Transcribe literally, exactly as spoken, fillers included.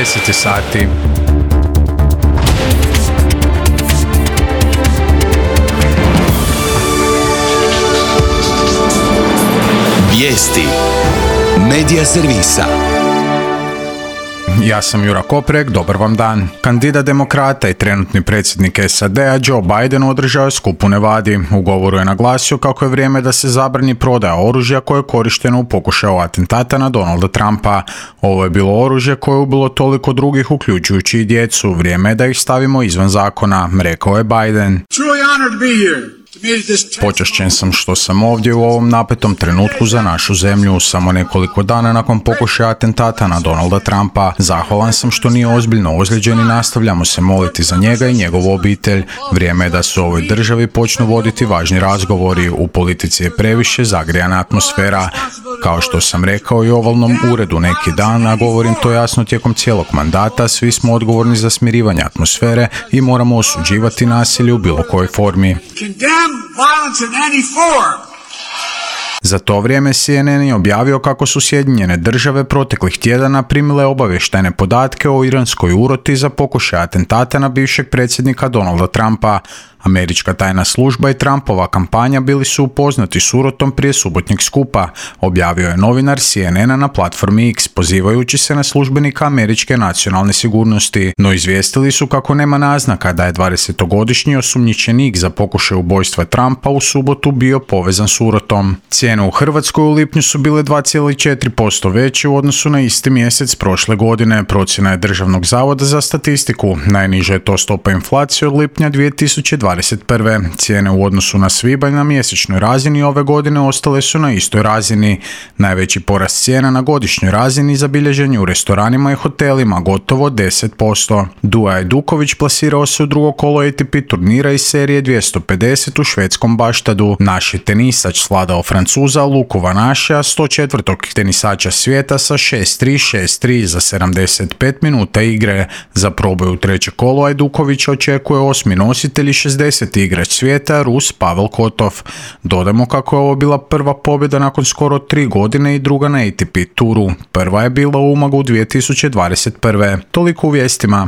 deset sati. Vijesti Medija servisa. Ja sam Jura Koprek, dobar vam dan. Kandidat demokrata i trenutni predsjednik S A D-a Joe Biden održao je skup u Nevadi. U govoru je naglasio kako je vrijeme da se zabrani prodaja oružja koje je korišteno u pokušaju atentata na Donalda Trumpa. Ovo je bilo oružje koje je ubilo toliko drugih, uključujući i djecu. Vrijeme je da ih stavimo izvan zakona, rekao je Biden. Počašćen sam što sam ovdje u ovom napetom trenutku za našu zemlju, samo nekoliko dana nakon pokušaja atentata na Donalda Trumpa. Zahvalan sam što nije ozbiljno ozlijeđen i nastavljamo se moliti za njega i njegovu obitelj. Vrijeme je da se u ovoj državi počnu voditi važni razgovori. U politici je previše zagrijana atmosfera. Kao što sam rekao i u ovalnom uredu neki dan, a govorim to jasno tijekom cijelog mandata, svi smo odgovorni za smirivanje atmosfere i moramo osuđivati nasilje u bilo kojoj formi. Za to vrijeme C N N je objavio kako su Sjedinjene države proteklih tjedana primile obavještajne podatke o iranskoj uroti za pokušaj atentata na bivšeg predsjednika Donalda Trumpa. Američka tajna služba i Trumpova kampanja bili su upoznati s urotom prije subotnjeg skupa, objavio je novinar C N N-a na platformi X, pozivajući se na službenika američke nacionalne sigurnosti, no izvijestili su kako nema naznaka da je dvadesetogodišnji osumnjičenik za pokušaj ubojstva Trumpa u subotu bio povezan s urotom. Cijene u Hrvatskoj u lipnju su bile dva zarez četiri posto veće u odnosu na isti mjesec prošle godine, procjena je Državnog zavoda za statistiku. Najniža je to stopa inflacije od lipnja dvije tisuće dvadeset prve. Cijene u odnosu na svibanj na mjesečnoj razini ove godine ostale su na istoj razini. Najveći porast cijena na godišnjoj razini zabilježen je u restoranima i hotelima, gotovo deset posto. Duja Duković plasirao se u drugo kolo A T P turnira iz serije dvjesto pedeset u švedskom Baštadu. Naš je tenisač svladao Francuza Luku Van Assche, sto četvrtog tenisača svijeta sa šest tri šest tri za sedamdeset pet minuta igre. Za proboj u treće kolo Ajduković očekuje osmi nositelj i šezdeset igrač svijeta, Rus Pavel Kotov. Dodamo kako je ovo bila prva pobjeda nakon skoro tri godine i druga na A T P turu. Prva je bila u Umagu dvije tisuće dvadeset prve. Toliko u vijestima.